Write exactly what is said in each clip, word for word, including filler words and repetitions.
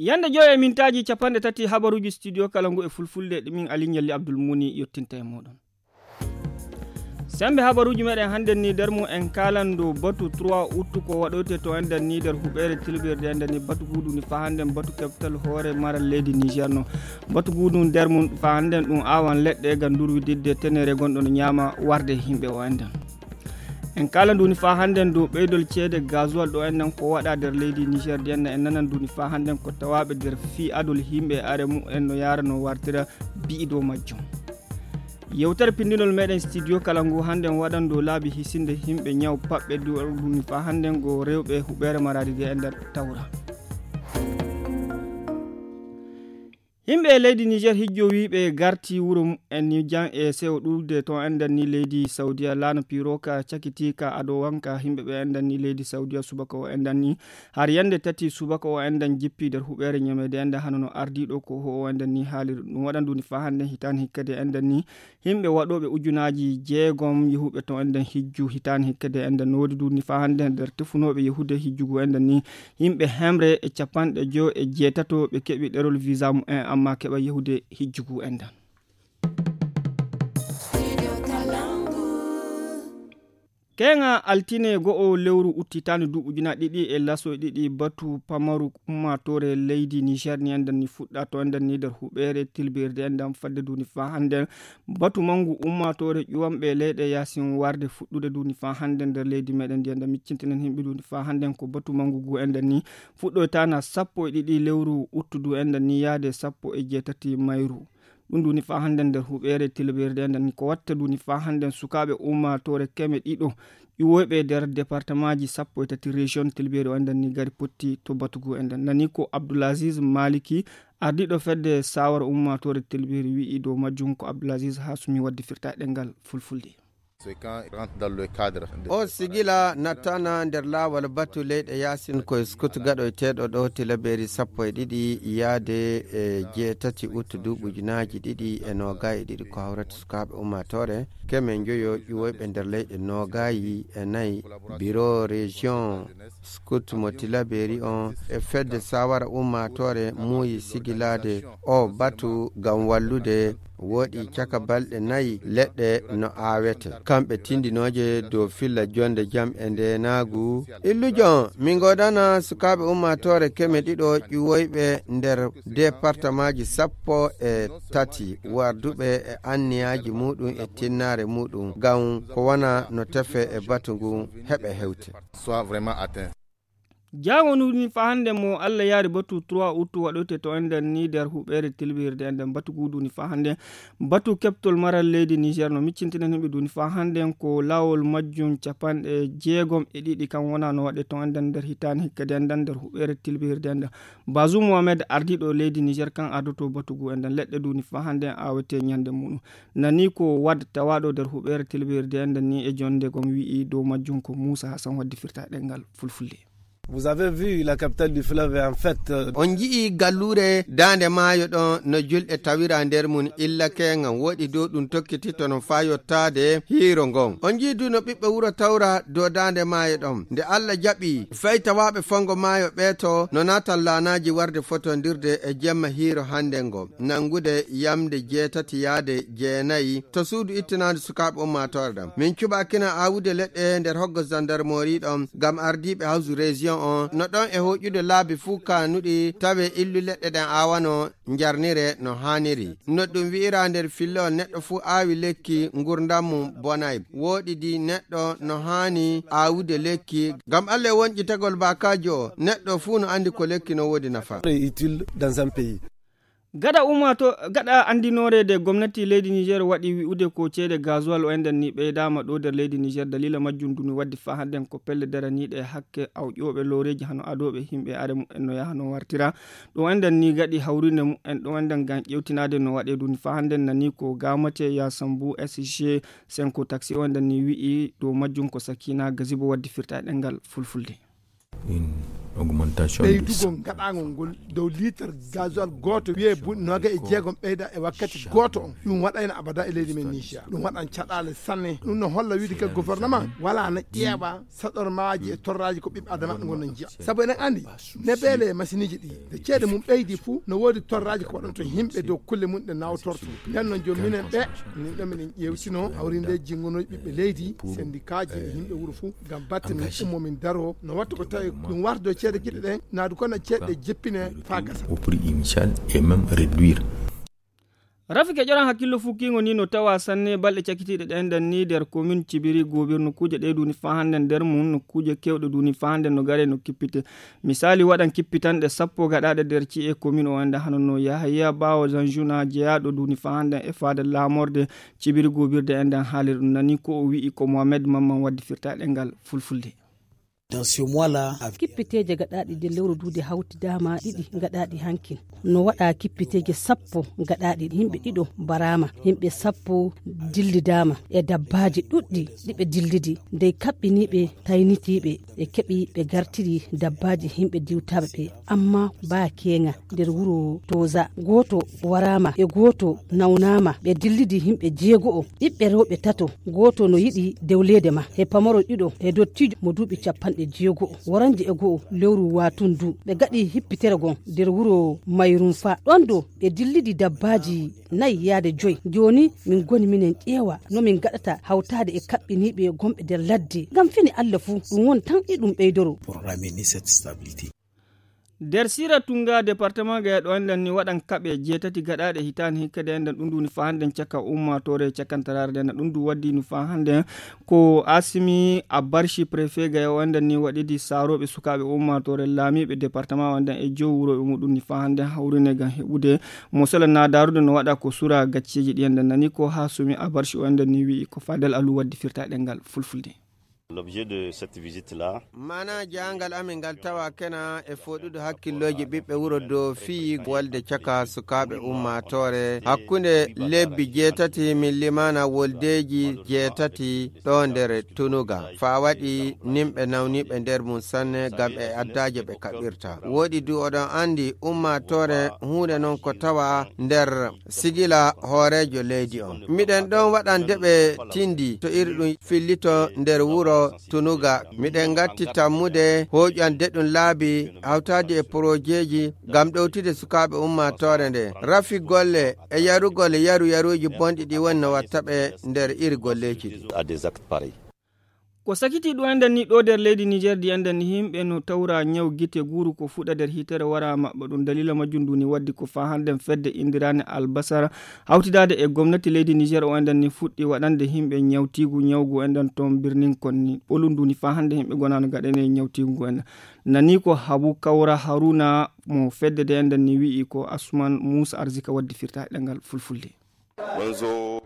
Yande joy e mintaaji capanɗe tati habaruuji studio kala ngu e fulfulde ɗi min Ali Ɲalli Abdul Muni yottinta e mooɗon. Sembe habaruuji meɗen hannden ni nder mum en kaalan dow batu trois août ko waɗoyte to enɗen ni nder huɓeere tilbirde enɗen ni batu guudu ni fa hannden batu keftal hoore maral leydi Niger no. Batu guudu nder mum fa hannden ɗum aawan leɗɗe ngam durwididde tenere gonɗo no ɲaama warde yimɓe o enɗen. En kaalan duni fa hannden dow ɓeydol ceede gasoil ɗo enɗen ko waɗa nder leydi Niger ndi enɗen en nanan duni fa hannden ko tawaaɓe nder fii adol yimɓe are mumen no yaara no wartira bi'i dow majjum. Yewtere pinndinol meɗen studio kala ngu hannden waɗan dow laabi hisinde yimɓe ɲaw paɓɓe duwal duni fa hannden go rewɓe huɓeere maraadi ndi e nder tawra. Yimɓe e leydi Niger hijjo wiiɓe garti wuro mumen ni jan e sewo ɗuuɗde to enɗen ni leydi Saudiya laana piroka cakitiika ado wanka yimɓe ɓe enɗen ni leydi Saudiya subaka o enɗen ni har yande tati subaka o enɗen jippi nder huɓeere ɲameede enɗen hano no ardiiɗo ko ho o enɗen ni haaliri ɗum waɗan duni fa hannden hitaani hikkade enɗen ni yimɓe waɗooɓe ujunaaji jeegom yahuɓe to enɗen hijju hitaani hikkade enɗen no woodi duni fa hannden nder tefunooɓe yahude hijjugu enɗen ni yimɓe hemre e capanɗe joy e jeetato ɓe keɓi ɗerol visa mumen amma keɓa yahude hijjugu enɗen. Keeŋa altine go'o lewru uttitaani duuɓi ujunaaji ɗiɗi e laso e ɗiɗi batu pamaru ummaatoore leydi Niger ni enɗen ni fuɗɗa to enɗen ni nder huɓeere tilbirde enɗen fadde duni fa hannden batu mangu ummaatoore ƴuwanɓe leyɗe yaasin warde fuɗɗude duni fa hannden nder leydi meɗen ndi enɗen miccintinen yimɓe duni fa hannden ko batu mangu gu enɗen ni fuɗɗoytaana sappo e ɗiɗi lewru uttudu enɗen ni yaade sappo e jeetati mayru. Ɗum duni fa hannden nder huɓeere tilbirde enɗen ni ko watta duni fa hannden sukaaɓe ummaatoore keme ɗiɗo ƴuwoyɓe nder departemaaji sappo e tati région tilbiri o enɗen ni gari potti to batugu enɗen nani ko Abdoulaziz Maliki ardiiɗo fedde sawara ummaatoore tilbiri wi'i dow majjum ko Abdoulaziz Hasumi waddi firta e ɗengal fulfulde. O sigila nattana nder laawol batu leyɗe yaasin koye skut gaɗoyteeɗo ɗo tilaberi sappo e ɗiɗi yaade e jeetati uttu duuɓi ujunaaji ɗiɗi e noogay e ɗiɗi ko hawrata sukaaɓe ummaatoore keme njoyo ƴuwoyɓe nder leyɗe noogayi e nayi biro région skut mo tilaberi on e fedde sawara ummaatoore muuyi sigilaade o batu ngam wallude woɗi caka balɗe nayi leɗɗe no aawete kamɓe tindinooje dow filla jonde jam e ndeenaagu illujo on min ngoodana sukaaɓe ummaatoore keme ɗiɗo ƴuwoyɓe nder departamaaji sappo e tati warduɓe e anniyaaji muɗum e tinnaare muɗum ngam ko wona no tefe e batu ngun heɓe hewte. Soit vraiment atteint. Jaawo nuni fa hannde mo Allah yaari batu trois août waɗoyte to enɗen ni nder huɓeere tilbirde enɗen batu guduni fa hannde batu keɓtol maral leydi Niger no miccintinen himɓe duni fa hannde ko laawol majjum capanɗe jeegom e ɗiɗi kan wona no waɗe to enɗen nder hitaani hikkadi enɗen nder huɓeere tilbirde enɗen. Bazum Mohamed ardiiɗo leydi Niger kan ardoto batu gu enɗen leɗɗe duni fa hannde awete ɲande muɗum nani ko wad tawaɗo nder huɓeere tilbirde enɗen ni e jonde gom wi'i dow majjum ko Moussa Hassan waddi firta ɗengal fulfulde. Vous avez vu la capitale du fleuve en fait. On ji'i galluure daande maayo ɗon no julɗe tawira nder mum illa keeŋa woɗi dow ɗum tokkititto no faa yottaade hiiro ngon. On ji'i du no ɓiɓɓe wuro tawra dow daande maayo ɗon. Nde Allah jaɓi fay tawaaɓe fongo maayo ɓeeto no naatan laanaaji warde fotondirde e jemma hiiro hannde ngo. Nanngude yamnde jeetati yaade jeenayi to suudu ittinaandu sukaaɓe ummaatoore ɗam min cuɓaakina aawude leɗɗe nder hoggo zandarmori ɗon ngam ardiiɓe hawsu région on no ɗon e hoƴude laabi fuu kaanuɗi tawe illu leɗɗe ɗen aawano njarnire no haaniri no ɗum wi'ira nder fillowol neɗɗo fuu aawi lekki ngurdam mum bonay wooɗidi neɗɗo no haani aawude lekki ngam allah e wonƴitagol baakaajo o neɗɗo fuu no anndi ko lekki no woodi nafa. Utile dans un pays. Gaɗa ummato gaɗa anndinoreede gomnati leydi Niger waɗi wi'ude ko ceede gasoil o enɗen ni ɓeydaama ɗo nder leydi Niger dalila majjum duni waddi fa hannden ko pelle daraniiɗe hakke awƴooɓe looreeji hano adooɓe yimɓe are mumen no yaha no wartira ɗo enɗen ni gaɗi hawrinde mumen ɗo enɗen ngam ƴewtinaade no waɗe duni fa hannden nani ko gamate ya sambu S G cinq taxi o enɗen ni wi'i dow majjum ko sakina gazibo waddi firta e ɗengal fulfulde. Ɓeydugol gaɗaangol ngol dow liitar gasoil gooto wiyee buuɗi noogay e jeegom ɓeyda e wakkati gooto on, ɗum waɗayno abada e leydi men Niger. Ɗum waɗan caɗaale sanne. Ɗum no holla wiide ka gouvernement wala na ƴeeɓa saɗormaaji e torraaji ko ɓiɓɓe adama ngon no njiya. Sabu eɗen anndi nebeele e masiiniji ɗi, nde ceede mum ɓeydi fuu, no woodi torraaji ko waɗanto yimɓe dow kulle mum ɗe nawtorto. Nden noon jooni minen ɓe, min ɗo minen ƴeewtino hawrinde jinngonooji ɓiɓɓe leydi, sendikaaji e yimɓe wuro fuu, ngam batte min ummo min daro, no watta ko tawi ɗum wardo ceede kiɗe ɗen, naadu kono ceeɗe jeppine faa gasa. Au prix initial et même réduire. Rafi keƴoran hakkillo fukkiingo ni no tawa sanne balɗe cakitiiɗe ɗen ɗan ni nder komin Cibiri Gobir. Nokkuuje ɗe duni faa hannden nder mum, nokkuuje kewɗe duni faa hannden no gare no kippite. Misaali waɗan kippitanɗe sappo gaɗaaɗe nder ci'e komin o anda hano no Yahaya Ɓaawo Zanjuna jeyaaɗo duni faa hannden e faade laamorde Cibiri Gobirde en ɗan haalir ɗum nani ko o wi'i ko Mohamed Mamman waddi firtaaɗe ngal fulfulde. Kippiteeje gaɗaaɗi nder lewru duude hawtidaama ɗiɗi gaɗaaɗi hankin. No waɗa kippiteeje sappo gaɗaaɗi, yimɓe ɗiɗo mbaraama, yimɓe sappo dillidaama e dabbaaji ɗuɗɗi ɗi ɓe dillidi. Dey kaɓɓiniiɓe taynitiiɓe ɓe keɓi ɓe gartiri dabbaaji yimɓe diwtaaɓe ɓe. Amma baa keeŋa nder wuro Toza, gooto waraama e gooto nawnaama. Ɓe dillidi yimɓe jeego'o, ɓiɓɓe rewɓe tato, gooto no yiɗi dewleede ma, e pamaro ɗiɗo, e dottiijo mo duuɓi capanɗe jeego'o. Woranje e go'o lewru watundu, ɓe gaɗi hippitere gon nder wuro Mayrunfa. Ɗon do ɓe dillidi dabbaaji nayi yaade joyi. Jooni min goni minen ƴeewa no min gaɗata hawtaade e kaɓɓiniiɓe gonɓe nder ladde. Ngam fini Alla fuu, ɗum won tan e ɗum ɓeydoro. Nder Sira Tunga, departement Gaya ɗo enɗan ni waɗan kaɓe jeetati gaɗaaɗe hitaande hikka de enɗan ɗum duni faa hannden caka ummaatoore cakantaraare de enɗan ɗum du waddi nu faa hannden ko Asimi Abarshi préfet Gaya o enɗan ni waɗidi saarooɓe sukaaɓe ummaatoore laamiiɓe departement o enɗan e jow wurooɓe muɗum ni faa hannden hawrine ngam heɓude mo sela na daarude no waɗa ko sura gacceeji ɗi enɗan nani ko Hasumi Abarshi o enɗan ni wi'i ko Fadel Alu waddi firtaaɗe ngal fulfulde. L'objet de cette visite-là. Maana jaangal amin ngal tawa kena e fooɗude hakkillooji ɓiɓɓe wuro dow fii wolde caka sukaaɓe ummaatoore hakkunde lebbi jeetati min limaana woldeeji jeetati ɗo nder Tunuga. Faa waɗi nimɓe nawniiɓe nder mum sanne ngam e addaaje ɓe kaɓirta. Wooɗi du oɗon anndi ummaatoore huunde non ko tawa nder sigila hooreejo leydi on. Miɗen ɗon waɗande ɓe tindi to iri ɗum fillito nder wuro Tunuga. Miɗen ngatti tammude hooƴande ɗum laabi hawtaade e porojeeji ngam ɗowtude sukaaɓe ummaatoore nde. Rafi golle e yarugol yaru yaruuji bonɗi ɗi woni no watta ɓe nder iri golleeji ɗi. Ko sakiti ɗum enɗan ni ɗo nder leydi Niger di enɗan ni yimɓe no tawra ñaw gite guuru ko fuɗa nder hitere wara maɓɓa ɗum dalila majjum ndu ni waddi ko faa hannden fedde indirande Albasara hawtidaade e gomnati leydi Niger o enɗan ni fuɗɗi waɗande yimɓe ñawtiigu ñawgu enɗan toon birnin kon ni ɓolum ndu ni faa hannden yimɓe gonaano gaɗane ñawtiigu ngu enɗan nani ko Habu Kawra Haruna mo fedde de enɗan ni wi'i ko Asuman Muusa Arzika waddi firtaaɗe ɗemngal fulfulde.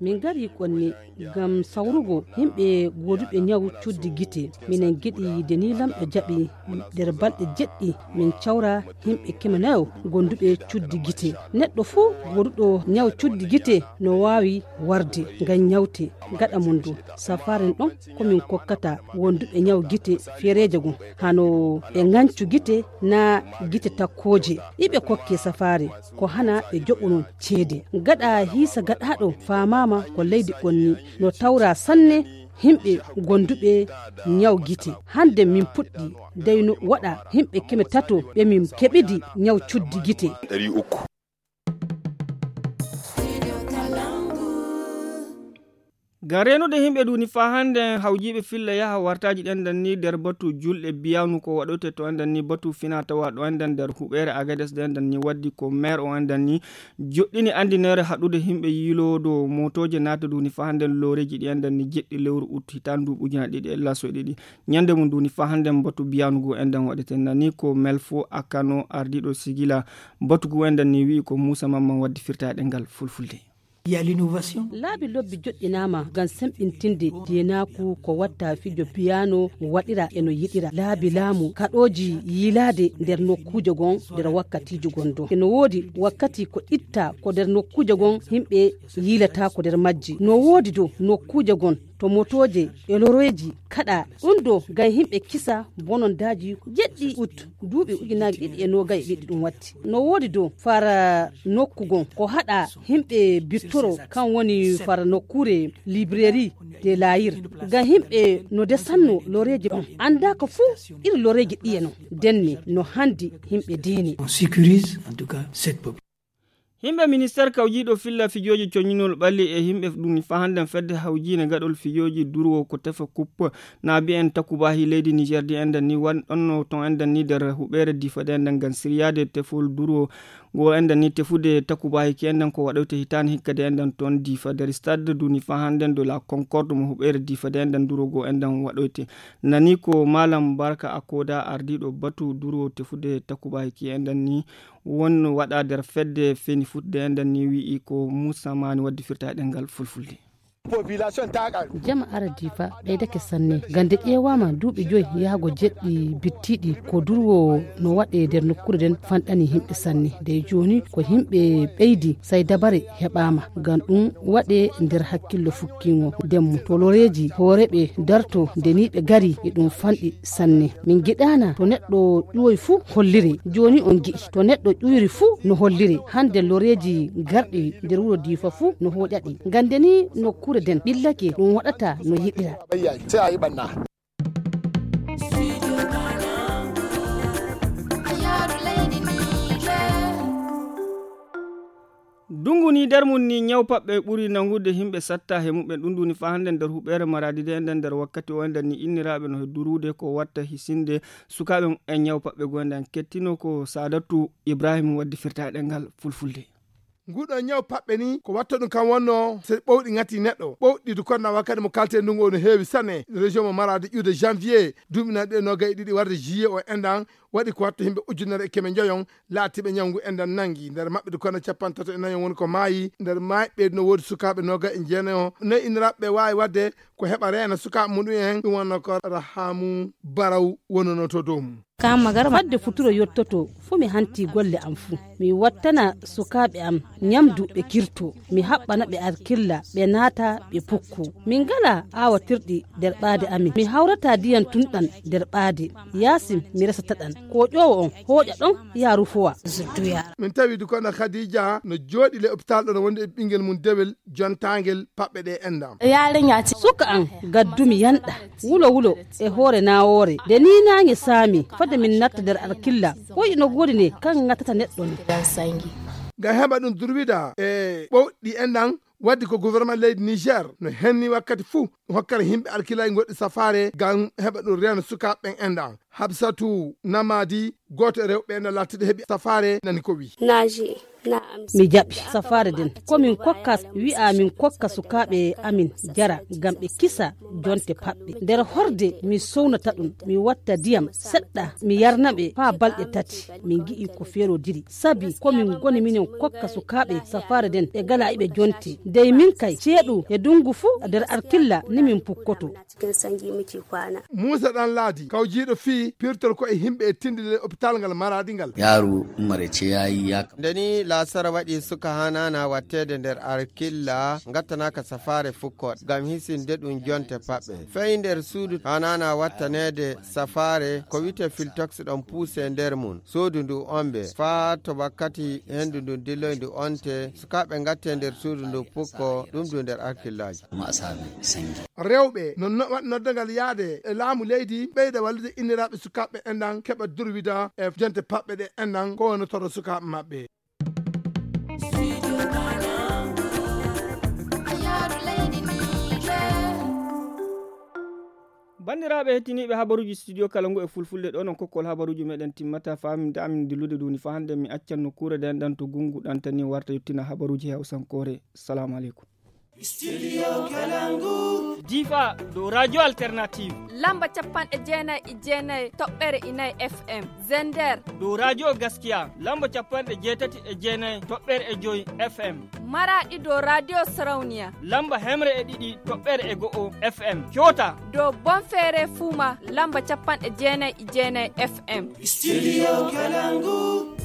Min ngari kon ni ngam sawrugo yimɓe gooduɓe ñaw cuddi gite. Minen ngiɗi yiide ni Laamɗo jaɓi nder balɗe jeɗɗi min cawra yimɓe keme nayo gonduɓe cuddi gite. Neɗɗo fuu gooduɗo ñaw cuddi gite no waawi warde ngam ñawte gaɗa mum du. Safaare ɗon ko min kokkata wonduɓe ñaw gite feereeje gum, hano ɓe ŋancu gite naa gite takkooje. Iɓe kokkee safaare ko hana ɓe joɓuno ceede. Gaɗa hiisa gaɗaaɗo faamaama ko leydi ɓonni no tawraa sanne yimɓe gonduɓe ñaw gite. Hande min puɗɗi dey no waɗa yimɓe keme tato ɓe min keɓidi ñaw cuddi gite. Ngam reenude yimɓe duni faa hande hawjiiɓe filla yaha wartaaji ɗen ɗan ni nder batu julɗe biyanu ko waɗote to enɗan ni batu fina tawa ɗo enɗan nder huɓeere Agades ɗo enɗan ni waddi ko maire o enɗan ni joɗɗini andineere haɗude yimɓe yiiloodo motooje naata duni faa hande looreeji ɗi enɗan ni jeɗɗi lewru ut hitaande ndu ujunaaji ɗiɗi e laso e ɗiɗi. Ñande mum duni faa hande batu biyanu ngu enɗan waɗete nani ko Melfo Akano ardiiɗo sigila batu ngu enɗan ni wi'i ko Muusa Mamman waddi firtaade ngal fulfulde. Laabi lobbi joɗɗinaama ngam semɓintinde deenaaku ko watta fijo piyaano waɗira e no yiɗira. Laabi laamu kaɗooji yiilaade nder nokkuuje gon nder wakkatiiji gon don. E no woodi wakkati ko itta ko nder nokkuuje gon yimɓe yiilata ko nder majji. No woodi do nokkuuje gon to motooje e looreeji kaɗa ɗum ɗo ngam yimɓe kisa bonondaaji jeɗɗi ut duuɓi ujunaaji ɗiɗi e noogay e ɗiɗi ɗum watti. No woodi dow fara nokku gon ko haɗa yimɓe bittoro kan woni fara nokkuure librairie de layir ngam yimɓe no desanno loreeji ɗon annda ko fuu iri loreeji ɗiye non. Denne no handi yimɓe deeni. On sécurise en tout cas cette population. Yimɓe ministeer kawjiiɗo filla fijooji coñinol ɓalli e yimɓe ɗum fa hannden fedde hawjiine gaɗol fijooji durwo ko tefa kuppe na mbiyen takubaahi leydi niger di enɗen ni wanɗonno ton enɗen ni nder huɓeere difa de enɗen ngam siryaade tefol durwo ngo enɗen ni tefude takubaahi ki enɗen ko waɗoyte hitaani hikka de enɗen toon difa nder stade duni fa hannden de la concorde mo huɓeere difa de enɗen durwo ngo enɗen waɗoyte. Nani ko malam barka akoda ardiiɗo batu durwo tefude takubaahi ki enɗen ni won waɗa nder fedde feni futde enɗen ni wi'i ko muusa maani waddi firta e ɗenngal fulfulde. Jama aradi fa ɓeydake sanne gande ƴeewama duuɓi joyi yaago jeɗɗi bittiɗi ko durwo no waɗe nder nokkuure nden fanɗani yimɓe sanne. Dey jooni ko yimɓe ɓeydi say dabare heɓama ngam ɗum waɗe nder hakkillo fukkingo ndemmo to loreeji hooreɓe darto ndeniɓe gari e ɗum fanɗi sanne. Min giɗaana to neɗɗo ƴuwoy fuu hollire. Jooni on gi'i to neɗɗo ƴuyri fuu no hollire. Hannde loreeji garɗi nder wuro Diifa fuu no hooƴaɗi. Ngannde ni nokkuure nden ɓillake ɗum waɗata no yiɗira. Dungu ni nder mum ni ñaw paɓɓe ɓuri nangude yimɓe satta he muɓɓen ɗum nduni fa hannde nder huɓeere maraadi de enden nder wakkati o enden ni inniraaɓe no he duruude ko watta hisinde sukaaɓe muɓɓen ñaw paɓɓe go enden kettino ko Saadatu Ibrahim waddi firta e ɗemngal fulfulde. Nguɗo ñaw paɓɓe ni ko watta ɗum kam wonno so ɓowɗi ŋati neɗɗo ɓowɗi du konna wakkati mo kalte ndungu o no heewi sanne région mo maraadi ƴuude janvier duuɓi nayi ɗe nogay e ɗiɗi warde juillet o endan waɗi ko watta yimɓe ujunere e keme njoyon laatiiɓe ñawngu enɗan nanngi nder maɓɓe de kono capantato e nayon woni ko maayi nder maayɓe no woodi sukaaɓe noga e jeenayo nayi inniraaɓe ɓe waawi waɗde ko heɓa reena sukaaɓe muɗum en ɗum wonno ko rahamu baraw wonono to dow mum. Fadde futuro yottoto fuu mi hanti golle am fuu mi wattana sukaaɓe am ñamdu ɓe kirto mi haɓɓana ɓe arkilla ɓe naata ɓe pukko min ngala aawatirɗi nder ɓaade amin mi hawrata ndiyam tunɗam nder ɓaade yaasin mi resata ɗam koƴoowo on hooƴa ɗon yaa rufowa. Min tawi dukono khadija no jooɗi le hôpital ɗo no wondi e ɓinngel mum dewel jontaangel paɓɓe ɗe enɗam. Suka an gaddumi yanɗa wulo wulo e hoore nawoore nde ni naange saami fade min natta nder arkilla koy ino goodi ne kan ŋatata neɗɗo ni. Ngam heɓa ɗum durwida e ɓowɗi enɗam waddi ko gouvernement leydi niger no henni wakkati fuu hokkata yimɓe alkilaaji goɗɗi safaare ngam heɓa ɗum reeno sukaaɓe ɓen enɗan habsatu namadi gooto e rewɓe ɓen no lattiɗo heɓi safaare nani ko wi. Mi jaɓi safaare nden ko min kokka wi'a min kokka sukaaɓe amin jara ngam ɓe kisa jonte paɓɓe nder horde mi sownata ɗum mi watta ndiyam seɗɗa mi yarna ɓe faa balɗe tati min ngi'i ko feerodiri sabi ko min ngoni minen kokka sukaaɓe safaare nden ɓe ngala iɓe jonte dey min kay ceeɗu e ndungu fuu nder arkilla ni min pukkoto. Muusa ɗan laadi kawjiiɗo fii pirtol ko e yimɓe e tindinde hôpital ngal maraadi ngal. Yaaru mare ceyayi yaaka. Nde ni laasara waɗi suka haa naana watteede nder arkilla ngattanaaka safaare fukkooɗe ngam hisinde ɗum jonte paɓɓe fey nder suudu haa naana wattaneede safaare ko wiyetee filtox ɗon puuse nder mum suudu ndu ombe faa to wakkati henndu ndu dilloy ndu onte sukaaɓe ngatte nder suudu ndu pukko ɗum du nder arkillaaji. Rewɓe no waɗi noddangal yaade e laamu leydi ɓeyda wallude inniraaɓe sukaaɓe enɗan keɓa durwida e jonte paɓɓe ɗe enɗan ko wonotoro sukaaɓe maɓɓe. Banndiraaɓe hettiniiɓe habaruuji studio kala ngu e fulfulde ɗo non kokkol habaruuji meɗen timmata faaminde amin dillude duni fa hannde mi accan nokkuure nden ɗan to gungu ɗantani warta yettina habaruuji hewsankoore. Salamu aleykum. Studio Kalangu. Difa dow radio alternative lamba capanɗe jeenayi e jeenayi toɓɓere inayi fm. Zender dow radio gaskiya lamba capanɗe jeetati e jeenayi toɓɓere e joyi fm. Maraɗi dow radio sarauniya lamba hemre e ɗiɗi toɓɓere e go'o fm. Coota dow bonfere fuma lamba capanɗe jeenayi e jeenayi fm. Studio Kalangu.